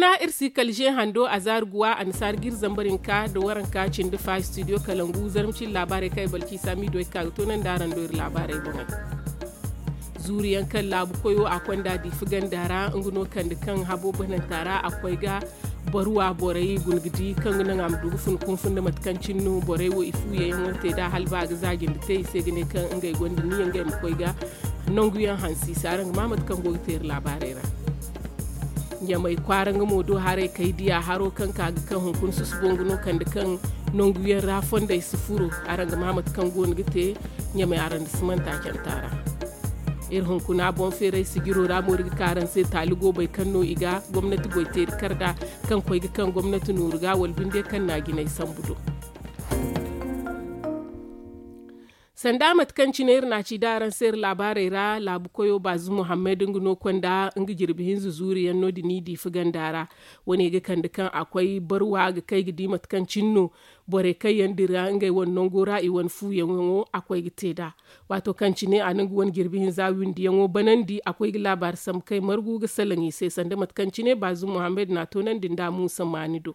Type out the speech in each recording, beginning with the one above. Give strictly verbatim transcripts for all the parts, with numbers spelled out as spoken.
Na iri si kala ze hando a zaari guwa annasaara ga iri zambar hinka nda waranka cindi fa studio kalangu zarma cine laabaarey kaŋ ay balki saamiido ay ga ka ga toonandi araŋ do iri laabaarey boŋey. Zuuri yaŋ kaŋ laabu koyo a konda diifi ganda ra nga no kande kaŋ habo bananta ra a koy ga barwa borey guna ga di kaŋ ga naŋ a ma du ga fun kunfun nda mate kaŋ cine no borey wo i fu yayaŋo te nd'a hala ba ga za jinde te i se ga ne kaŋ ngey gonda niya ngey ma koy ga nangu yaŋ hanse i se araŋ ga ma mate kaŋ go ga te iri laabaarey ra. Ɲamay kwaara nga mo do haray kay diya haro kaŋ ka ga kaŋ hunkuna susubo nga no kande kaŋ nangu yaŋ ra fondey si furo. Araŋ ga ma mate kaŋ go no ga te ɲamay araŋ da simanta canta ra. Iri hunkuna boŋ feeray sijiro ra mo iri ga ka araŋ se taali goobey kaŋ no i ga gomnati goy teeri kar nd'a kaŋ koy ga kaŋ gomnati nooru ga wala binde kaŋ na a jinay sambu do. Sanda mate kaŋ cine iri na a ci da araŋ se iri laabaarey ra laabu koyo baazu muhammad nga no konda nga jirbi hinza zuuri yaŋ no- din i diifi ganda ra. Wane ga kande kaŋ a koy barwa ga kay ga di mate kaŋ cine no borey kaŋ yaŋ dira ngey wane nango ra i wane fuuyaŋo a koy ga te nd'a. Waato kaŋ cine a na nga wane jirbi hinza windiyaŋo banandi a koy ga laabaari sambu kay margu ga salaŋ i se sanda mate kaŋ cine baazu muhammad na a toonandi nda muusa maani do.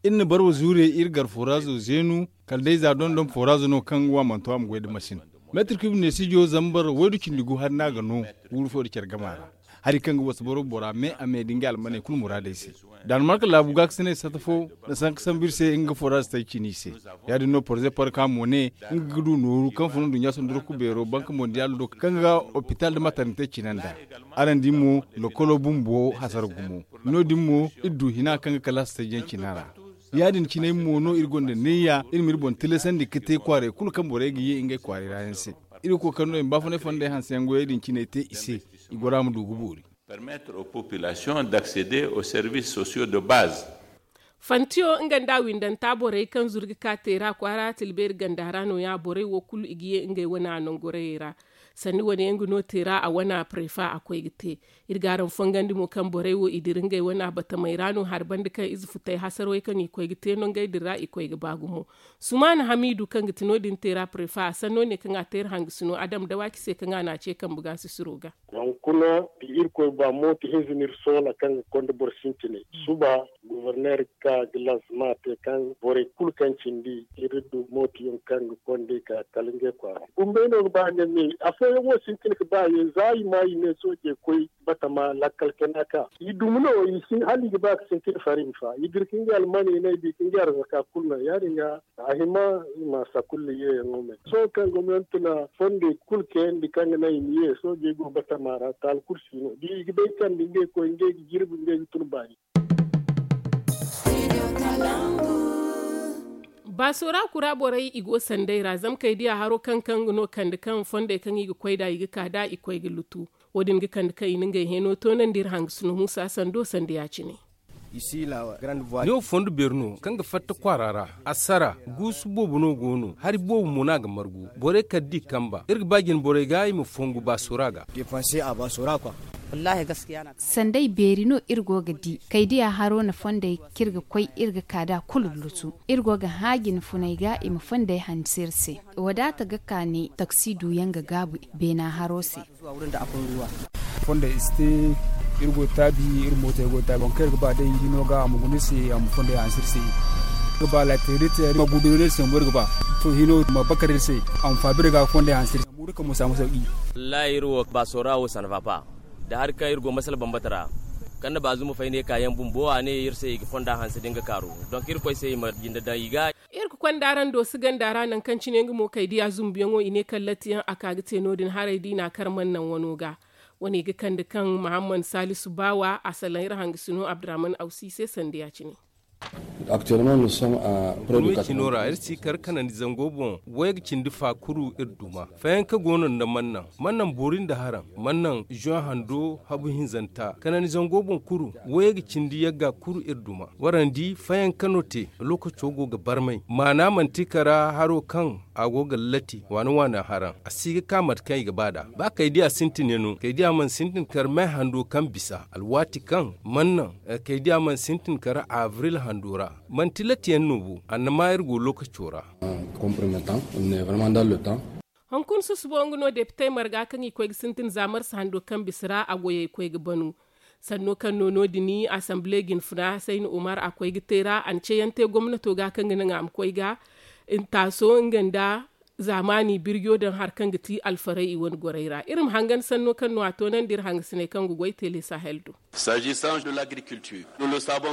Iri na barwa zuurey iri gar foraazo zeenu kala day za dondon foraazo no kaŋ ga wa manto a ma goy nda masin. Meetir kub neesijo zambar waydu cindi gu hari no a ga no guuru fo nda care gama ra. Hari kaŋ ga wasa boro bora me a me nda ngey almaney kulu muraadey se. Daanimarka laabu gaakasinay sata fo na sanka sambu iri se nga ga foraazo tay cine i se. Ya- din no porze parka mo ne nga ga du nooru kaŋ fun nduɲɲa sandurku beero banka mondiyaalo do kaŋ ga ga opitaal nda matarnte cine nd'a. Araŋ di mo lokolo bumbo hasara gumo. No- din mo iri du hina kaŋ ga kalaasi tajiyaŋ cina ra. Ya- din cinay mo no iri gonda neeya iri ma iri boŋ tilasandi ga te kwaaray kulu kaŋ borey ga ye ngey kwaaray ra yaŋ se. Iri ga koy kaŋ no i ma baafunay fondey hanse yaŋ goyey din cinay te i se. I goro a ma du ga boori. Permettre aux populations d'accéder aux services sociaux de base. Fantiyo nga nda windanta borey kaŋ zuru ga ka teera kwaara tilbeeri ganda ra no- ya borey wo kulu i ga ye ngey wane a nangorayey ra. Sanni wane yaŋ ga no teera a wane a prefa a koy ga te. Iri ga araŋ fongandi mo kaŋ borey wo i dira ngey wane a batamey ra no hari banda kaŋ ize futay hasarwey kaŋ i koy ga te no ngey din ra i koy ga ba gumo. Sumaana hamiidu kaŋ ga ti no- din teera prefa a sanno ne kaŋ a teera hangasino adam dawaaki se kaŋ a na a ce kambe ga sisiro ga. Hunkuna da irkoy ba mooto hinza no iri soola kaŋ ga konda boro sintinay. Suba goborneer ga ka ga lansama te kaŋ borey kulu kaŋ cindi iri du mooto yaŋ kaŋ ga konda i ka kala ngey kwaara gumbey no ga ba ne me afooyaŋ wo sintin ga ba ye za i ma i ne soojey koy batama lakkal kena ka i dumi no i si hala i ga ba ga sintin fari ma fa i dira ka ngey almaney no i bi ka ngey arzaka kulu no ya- din ga a hima i ma sakulla yeeyaŋo me sohõ kaŋ gomnanti na fondey kulu kayandi kaŋ ga naŋ i ma ye soojey go batama ra taali kulu si no da i ga bay kande ngey koy ngey ga jirbi ngey ga tun baani. Baaso ra kura borey i go sanday ra zama kay diya haro kaŋ kaŋ ga no kande kaŋ fondey kaŋ i ga koy nd'a i ga ka nd'a i koy ga lutu. Wo- din ga kande kaŋ i na ngey hẽeno toonandi iri hangasino muusa sando sanda ya- cine. Ne wo fondo beeri no kaŋ ga fatta kwaara ra. Assara guusu boobo no go no hari boobo mo no a ga margu borey kala da i kamba iri ga ba jine borey ga i ma fongu baasora ga. Sanday beeri no iri go ga di kay diya haro na fondey kaŋ iri ga koy iri ga ka nd'a kulu lutu. Iri go ga hã jine funey ga i ma fondey hanse iri se. Wadaata ga kaani taksi duyaŋ ga gaabu beena haro se. Fondey i si te. Iri go ga taabi iri mootey go ga taabi waŋ kaŋ iri ga ba day hino ga a ma guna iri se a ma fondey hanse iri se. Iri ga ba laateri te iri ma gudu iri se mo iri ga ba to hino ma bakar iri se a ma faabi iri ga fondey hanse iri se. Wallahi iri wo baasora wo sanfa pa da hari kaŋ iri go masala bambata ra. Kaŋ na baazu ma fay ne kaayaŋ bumbo a ne iri se i ga fonda hanse da nga kaaru. Donk irkoy se i ma jinde daŋ i ga. Iri ga konda araŋ do si ganda ra nangu kaŋ cine nga mo kay diya zumbuyaŋo i ne kallatiyaŋ a ka ga te no- din haray da i na a kar mana naŋ wano ga. Wane ga kande kaŋ mahamman saalisu baawa a salaŋ iri hangasino abdurahman awsi se sanda ya- cine. Gurmey cino ra iri si kar kanandi zango boŋ wayga cindi fa kuru iri duma fayanka go no nda mannaŋ mannaŋ boori nda haraŋ mannaŋ zoŋ hando habu hinzanta kanandi zango boŋ kuru wayga cindi yagga kuru iri duma. Warandi fayanka no te lokaco go ga barmay maana manti kara haro kaŋ a go ga lati waana waana haraŋ a si ga ka mate kaŋ i ga ba nd'a ba kay diya sintin yaŋ no kay diya mana sintin kar me hando kaŋ bisa alwaati kaŋ mannaŋ kay diya mana sintin kar abril hando ra. Manti latiyaŋ no bo annama iri go lokaco ra. Komprometan ne vraiment dans le temps. Hunkuna susubo nga no depitey marga kaŋ i koy ga sintin za marsa hando kaŋ bisa ra a goyey koy ga banu. Sanno kaŋ no no- din asamble jinfuna sayna umar a koy ga te ra a na ceeyaŋ te gomnato ga kaŋ ga naŋ a ma koy ga taaso nga nda zaamaani birjo daŋ hari kaŋ ga ti alfarey i wane gorey ra iri ma hangan sanno kaŋ no a toonandi iri hangasiney kaŋ ga goy teele sahel do.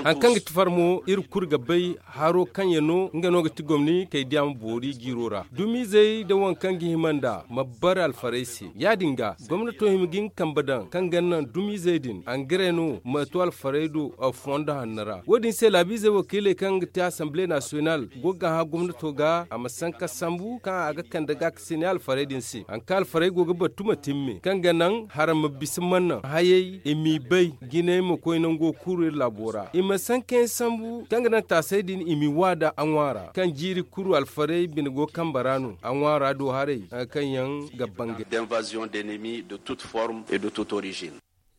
Hari kaŋ ga ti farmo iri kulu ga bay haro kaŋ yaŋ no nga no ga ti gomni kay diya ma boori jiiro ra dumiizey nda waŋ kaŋ ga hima nd'a ma bare alfarey se ya- din ga gomnato hima ga nga kambe daŋ kaŋ ga naŋ dumiizey din angare no ma to alfarey do fondo hanno ra wo- din se laabiizey wakiiley kaŋ ga te asamble nasiyonal go ga hã gomnato ga a ma sanka sambu kaŋ a ga kande ga ka sine alfarey din se hari kaŋ alfarey go ga battu ma timme kaŋ ga naŋ hara ma bisa mannaŋ hayey i m'i bay jinay ma koy nango kuru iri laabo ra i ma sanka yaŋ sambu kaŋ ga naŋ taasey din i m'i wa da a ŋwaara kaŋ jiiri kuru alfarey bine go kambe ra no a ŋwaara do haray hari kaŋ yaŋ ga bangay.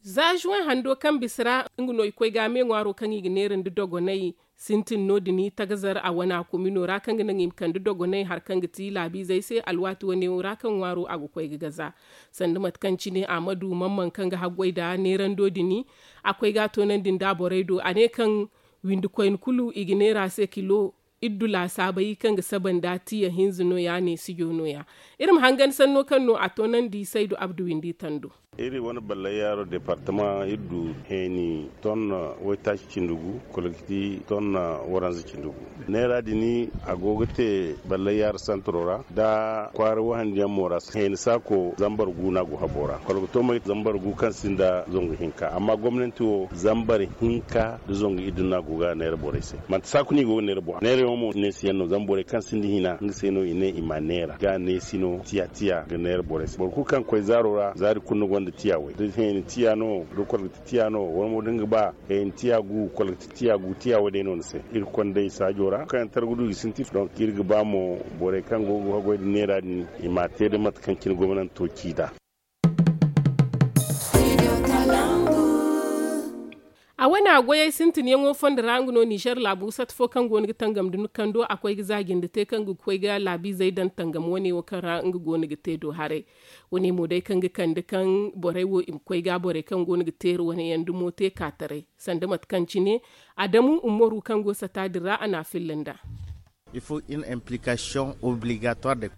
Za juwaŋ hando kaŋ bisa ra nga no i koy ga a me ŋwaaro kaŋ i ga neera nda dogonay sintin no- din tagazar a wana komino ra kaŋ ga naŋ i ma kande dogonay hari kaŋ ga ti laabiizey se alwaati wane wo ra kaŋ ŋwaaro a ga koy ga gaza sanda mate kaŋ cine a ma du mamman kaŋ ga haggoy nda neerando din a koy ga a toonandi nda borey do a ne kaŋ windi koyne kulu i ga neera se kilo iddu laasaabey kaŋ ga saba nda tiya hinza no- ya neesijo no- ya iri ma hangan sanno kaŋ no a toonandi saydu abdu windi tando. Iri wane ballayyaaro departama iri du heeni tonna waytaaci cindi gu kologiti tonna waranza cindi gu. Neera din a go ga te ballayyaaro santaro ra nda kwaara wahandi yaŋ mo ra heeni saako zambar gu no a go habo ra kologito may zambar gu kaŋ sinda zangu hinka amma gomnanti wo zambar hinka nda zangu iddu no a go ga neera borey se manti saako no i go ga neera borey se neera yaŋo mo neesi yaŋ no zama borey kaŋ sinda hina nga se no i ne i ma neera ga neesi no tiya tiya ga neera borey se boro kulu kaŋ ga koy zaaro ra zaari kulu ni gonda tiya way da heeni tiya no da kologiti tiya no wala mo da ni ga ba heeni tiya gu kologiti tiya gu tiya way day no ni se iri kondey saajo ra kaŋ yaŋ targudu i ga sintin donk iri ga ba mo borey kaŋ go ga haggoy nda neera din i ma a te da mate kaŋ cine gomnanto ci nd'a. A wane a goyey sintinyaŋo fondo ra nga no nizer laabu sata fo kaŋ go no ga tangam nda nukando a koy ga za jinde te kaŋ ga koy ga laabiizey daŋ tangam wane wo kaŋ ra nga go no ga te do haray. Wane mo day kaŋ ga kande kaŋ borey wo i ma koy ga borey kaŋ go no ga teeri wane yaŋ dumo te ka taray sanda mate kaŋ cine adamu umaru kaŋ go sata din ra a na a filla nd'a.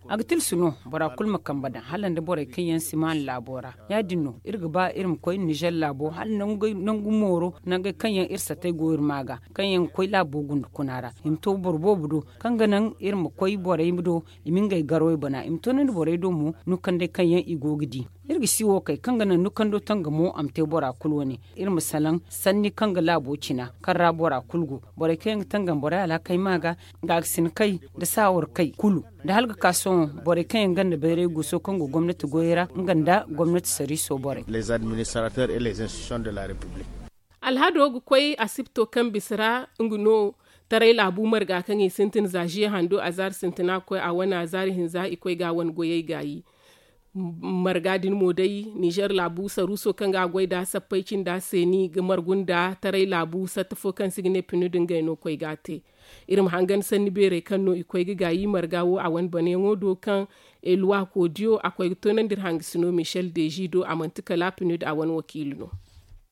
A ga tilsu no bora kulu ma kambe daŋ hala nda borey kaŋ yaŋ si maan laabo ra ya- din no iri ga ba iri ma koy nizer laabo hala nangu mooro nangey kaŋ yaŋ iri satey go iri ma ga kaŋ yaŋ ga koy laabo gunda kuna ra i ma to boro boobo do kaŋ ga naŋ iri ma koy borey do i ma ngey garo i bana i ma to nandi borey do mo nukandey kaŋ yaŋ i go ga di. Iri ga si wo kay kaŋ ga naŋ nukando tangamo a ma te bora kulu wane iri ma salaŋ sanni kaŋ ga laabo cina kaŋ ra bora kulu go borey kaŋ yaŋ ga tangam borey alhakey ma ga gaakasinakey nda saawarkey kulu nda hala ga ka sohõ borey kaŋ yaŋ ganda bayray guuso kaŋ go gomnati goyey ra nga nda gomnati sariiso borey. Alhado ga koy asipto kaŋ bisa ra nga no taray laabu marga kaŋ i sintin za ziya hando a zaari sintina ga koy a wane a zaari hinza i koy ga a wane goyey gaayi. Marga din mo day nizer laabu saruuso kaŋ ga a goy nd'a sappey cinda seeni ga margu nda taray laabu satta fo kaŋ se i ga ne pinu din gay no koy ga a te. Iri ma hangan sanni beerey kaŋ no i koy ga gaayi marga wo a wane banayaŋo do kaŋ eluwa koodiyo a koy ga toonandi iri hangasino michel deezi do a manti kala pinu din a wane wakiili no.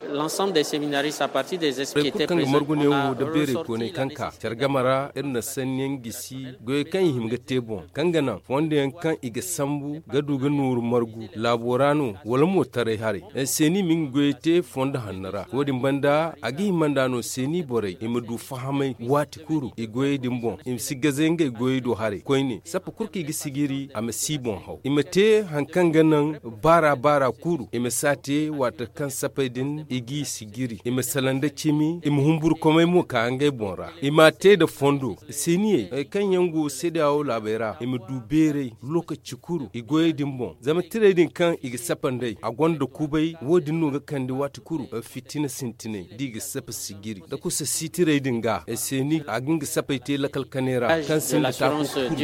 Boro kulu kaŋ ga margu neewo nda beeray goonay kaŋ ka care game ra iri na sanniyaŋ gisi goyey kaŋ i hima ga te boŋ kaŋ ga naŋ fondo yaŋ kaŋ i ga sambu ga du ga nooru margu laabo ra no wala mo taray haray. Seeni ma nga goyey te fondo hanno ra wo- din banda a ga hima nd'a no seeni borey i ma du fahamay waati kulu i goyey din boŋ i ma si gaze ngey goyey do haray koyne sappa kulu kaŋ i ga sijiri a ma si i boŋ haw i ma te hari kaŋ ga naŋ baara baara kulu i ma si a te waati kaŋ sapey din i g'i sijiri i ma salaŋ nda cimi i ma humburkomey mo ka ngey boŋ ra i m'a te nda fondo seeniyey kaŋ yaŋ go seedeyawo laabey ra i ma du beeray lokaci kulu i goyey din boŋ zama tirey din kaŋ i ga sapa nd'ey a gonda kubay wo- din no ga kande waati kulu fitina sintinay da i ga sapa sijiri nda kusa siitirey din ga seeni a ga nga sapey te lakal kanay ra kaŋ sinda taako kulu.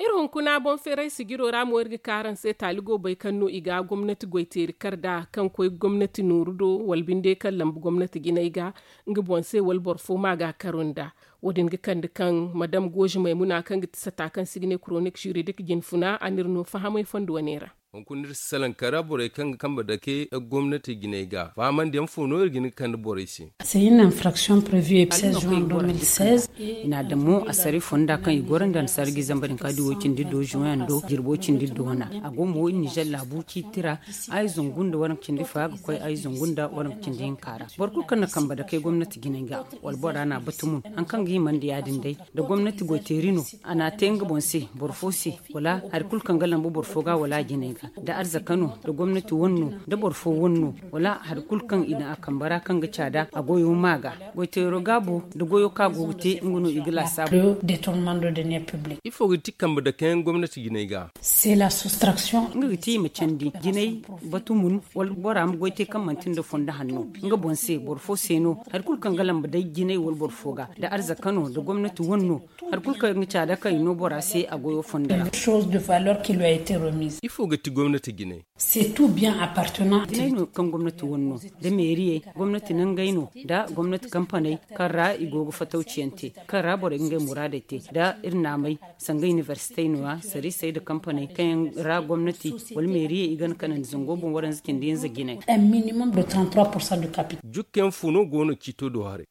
Iri Kuna boŋ feeray sijiro ra mo iri ga ka araŋ se taali goobey kaŋ no i ga gomnati goyteeri kar nd'a kaŋ koy gomnati nooru do wala binde kaŋ lambu gomnati jinay ga nga boŋ se wala boro fo ma ga a karu nd'a. Wo- din ga kande kaŋ madam gooze maymuna kaŋ ga ti sata kaŋ si ga ne koronik juridik jinfuna a n'iri no fahamay fondo wane ra. Hunkuna iri si salaŋ kara borey kaŋ ga kambe dake gomnati jinay ga fahamandiyaŋ fo no iri ga hin ga kande borey se. Seize juin deux mille seize. I n'a daŋ mo assaray fonda kaŋ i goro nda nda sargi zamba din ka di wo cindi do juin do jirbo cindi do wana. A go mo nizer laabu ciiti ra. Ay zangu nda waranka cindi fa ga koy ay zangu nda waranka cindi hinka ra. Boro kulu kaŋ na kambe dake gomnati jinay ga wala bora n'a batumun haŋ kaŋ ga himandi ya- din day. Da gomnati goyteeri no a n'a te nga boŋ se boro fo se wala hari kulu kaŋ ga lambu boro fo ga wala a jinay ga da arzaka no da gomnati wane no da boro fo wane no wala hari kulu kaŋ i daŋ a kambe ra kaŋ ga caada a goyo ma ga goyteero gaabo da goyo kaŋ a go ga te nga no i ga laasaabu. Ifo ga ti kambe dake yaŋ gomnati jinay ga? Nga ga ti i ma candi jinay batumun wala bora ma goy te kaŋ manti nda fondo hanno nga boŋ se boro fo se no hari kulu kaŋ ga lambu day jinay wala boro fo ga da arzaka no da gomnati wane no hari kulu kaŋ ga caada kaŋ i no bora se a goyo fondo ra. Ifo ga ti gomnati jinay? Jinay no kaŋ gomnati wane no da meeriyey gomnati nangey no da gomnati kampaney kaŋ ra i go ga fatawciyaŋ te kaŋ ra borey ga ngey muraadey te da iri naamey sanga inibersitey no- ya sariisey nda kampaney kaŋ yaŋ ra gomnati wala meeriyey i ga na kanandi zango boŋ waranza cindi hinza jinay. Jukkayaŋ fo no go no ciito do haray?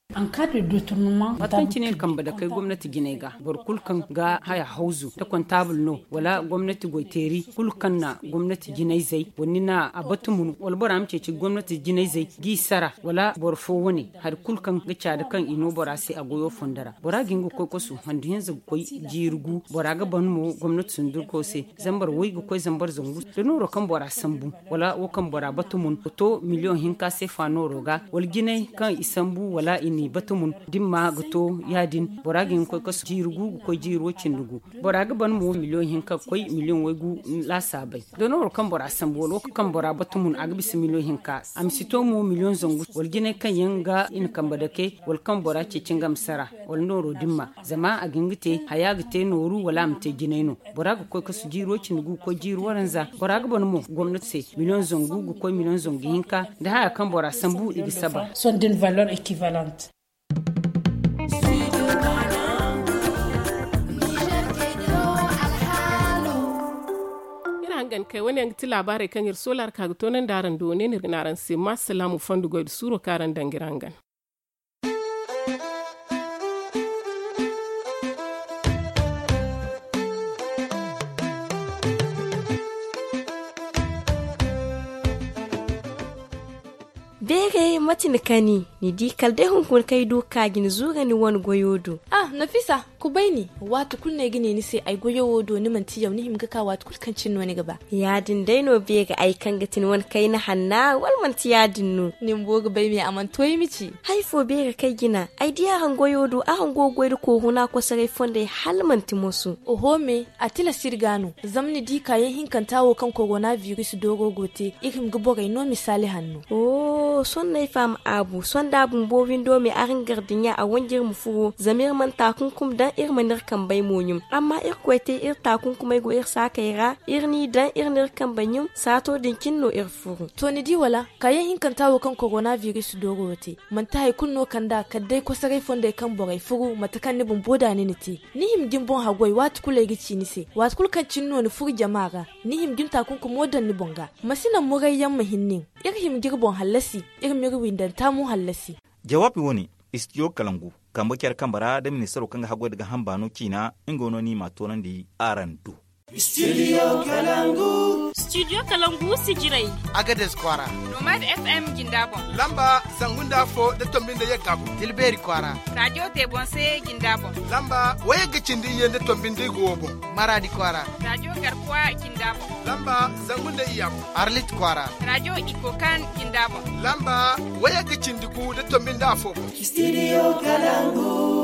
Waati kaŋ cine iri kambe dakey gomnati jinay ga boro kulu kaŋ ga haya hawzu nda kontaabul no wala gomnati goyteeri kulu kaŋ na gomnati jinayzey wala ni na a batumun wala bora ma ceeci gomnati jinayzey g'i sara wala boro fo wane hari kulu kaŋ ga caada kaŋ i no bora se a goyo fondo ra bora ga hin ga koy kasu handu hinza ga koy jiiri gu bora ga ban mo gomnati sundurko se zambar way ga koy zambar zangu da nooro kaŋ bora sambu wala wo kaŋ bora batumun ga to miliyoŋ hinka seefa nooro ga wala jinay kaŋ i sambu wala i n'i batumun da ni ma ga to ya- din bora ga hin ga koy kasu jiiri gu ga koy jiiri way cindi gu bora ga ban mo miliyoŋ hinka ga koy miliyoŋ way gu laasaabey da nooro kaŋ bora sambu wala wo kaŋ bora batumun a ga bisa miliyoŋ hinka a ma si to mo miliyoŋ zangu wala jinay kaŋ yaŋ ga i na kambe dake wala kaŋ bora ceeci nga ma sara wala nooro dimma zama a ga hin ga te haya ga te nooru wala a ma te jinay no bora ga koy kasu jiiro cindi gu ga koy jiiri waranza bora ga ban mo gomnati se miliyoŋ zangu ga koy miliyoŋ zangu hinka da haya kaŋ bora sambu i ga saba. Iri hangan kay wane yaŋ ga ti laabaarey kaŋ iri soolaari ka ga toonandi araŋ do wane no iri ga ne araŋ se ma salaamu fondo goy nda suuro kaŋ araŋ daŋ ga iri hangan. Beeray mate ni kani ni di kala day hunkuna kaŋ ay du ga ka jina zuura ni wane goyo do. Ah, nafisa, kubay ni. Waati kulu no ay ga ne ni se ay goyo wo do ni manti yaw ni hima ga ka waati kulu kaŋ cine no ni ga ba. Ya- din day no beeray ay kaŋ ga ti ni wane kayna hanna wala manti ya- din no? Ni bumbo ga bay me a mana to ay ma ci. Hari fo beeray kaŋ ay jina ay di araŋ goyo do araŋ go ga goy nda kooruna kosoray fondey hala manti moso. Oho me, a tilas iri ga no zama ni di kaayaŋ hinkanta wo kaŋ korona biris dooro go te iri hima ga borey no misaali hanno. Sohõ no ay faham aabu sohõ da a bumbo windo me araŋ gardiɲa a wanji iri ma furo zama iri mana taakunkum daŋ iri mana iri kambey mo ɲum. Amma irkoy te iri taakunkumey go iri saakey ra iri n'i daŋ iri n'iri kambey ɲum saato din cine no iri furu. To ni di wala kaayaŋ hinkanta wo kaŋ korona biris dooro wo te manti hari kulu no kand'a kala day kosoray fondey kaŋ borey furu mate kaŋ ni bumbo da ni na te. Ni hima ga ni boŋ haggoy waati kulu ay ga ci ni se waati kulu kaŋ cine no ni furu jama ra. Ni hima ga ni taakunkumo daŋ ni boŋ ga. Ma si naŋ murayyaŋ ma hin nin. Iri hima ga iri boŋ hallasi. Iri m'iri windanta mo hallasi. Jawaabi wane istidiyo kalangu kambe care kambe ra da ministaro kaŋ ga haggoy nda gaaham baano ciina nga no no ni m'a toonandi araŋ do. Studio kalangu. Studio kalangu sijirey. Agades kwaara. Nomad fm jinda boŋ. Lamba zangu nda afo nda tombi nda yagga boŋ tilbeeri kwaara. Radio tebonse jinda boŋ. Lamba wayagga cindi iyye nda tombi nda igo wo boŋ. Maradi kwaara. Radio garkuwa jinda boŋ. Lamba zangu nda iyya boŋ. Arlit kwaara. Radio ikokan jinda boŋ. Lamba wayagga cindi gu nda tombi nda afo boŋ. Studio kalangu.